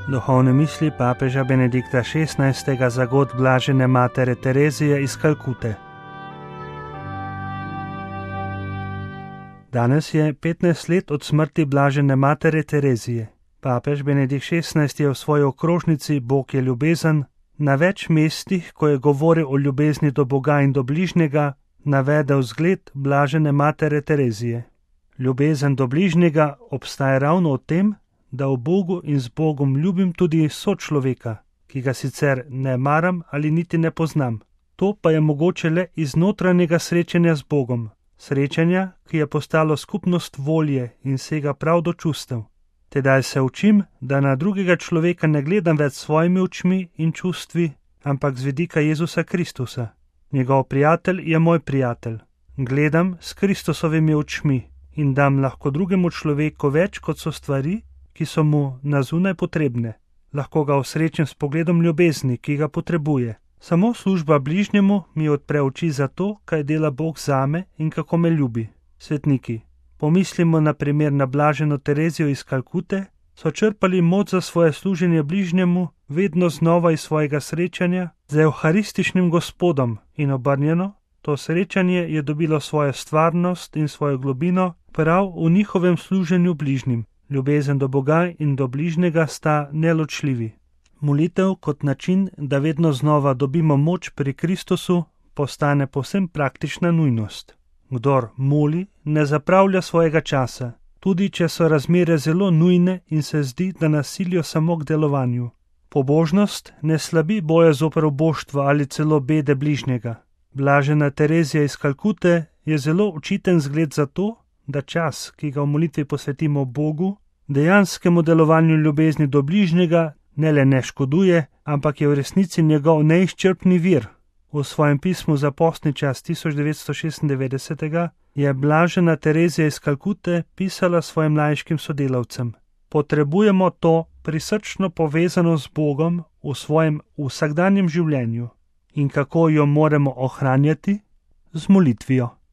Duhovne misli papeža Benedikta XVI. Za god blažene matere Terezije iz Kalkute. Danes je 15 let od smrti blažene matere Terezije. Papež Benedikt XVI. Je v svoji okrožnici Bog je ljubezen na več mestih, ko je govoril o ljubezni do Boga in do bližnjega, navedel zgled blažene matere Terezije. Ljubezen do bližnjega obstaja ravno v tem, da v Bogu in z Bogom ljubim tudi sočloveka, ki ga sicer ne maram ali niti ne poznam. To pa je mogoče le iz notranjega srečanja z Bogom, srečanja, ki je postalo skupnost volje in sega prav do čustev. Tedaj se učim, da na drugega človeka ne gledam več s svojimi očmi in čustvi, ampak z vidika Jezusa Kristusa. Njegov prijatelj je moj prijatelj. Gledam s Kristusovimi očmi in dam lahko drugemu človeku več, kot so stvari, ki so mu na zunaj potrebne. Lahko ga osrečim s pogledom ljubezni, ki ga potrebuje. Samo služba bližnjemu mi odpre oči za to, kaj dela Bog zame in kako me ljubi. Svetniki, pomislimo na primer na blaženo Terezijo iz Kalkute, so črpali moč za svoje služenje bližnjemu vedno znova iz svojega srečanja z evharističnim Gospodom in obrnjeno, to srečanje je dobilo svojo stvarnost in svojo globino prav v njihovem služenju bližnjim. Ljubezen do Boga in do bližnjega sta neločljivi. Molitev kot način, da vedno znova dobimo moč pri Kristusu, postane povsem praktična nujnost. Kdor moli, ne zapravlja svojega časa, tudi če so razmere zelo nujne in se zdi, da nas silijo samo k delovanju. Pobožnost ne slabi boja zoper uboštvo ali celo bede bližnjega. Blažena Terezija iz Kalkute je zelo učiten zgled za to, da čas, ki ga v molitvi posvetimo Bogu, dejanskemu delovanju ljubezni do bližnjega ne le ne škoduje, ampak je v resnici njegov neizčrpni vir. V svojem pismu za postni čas 1996 je blažena Terezija iz Kalkute pisala svojim laiškim sodelavcem: potrebujemo to prisrčno povezanost z Bogom v svojem vsakdanjem življenju. In kako jo moramo ohranjati? Z molitvijo.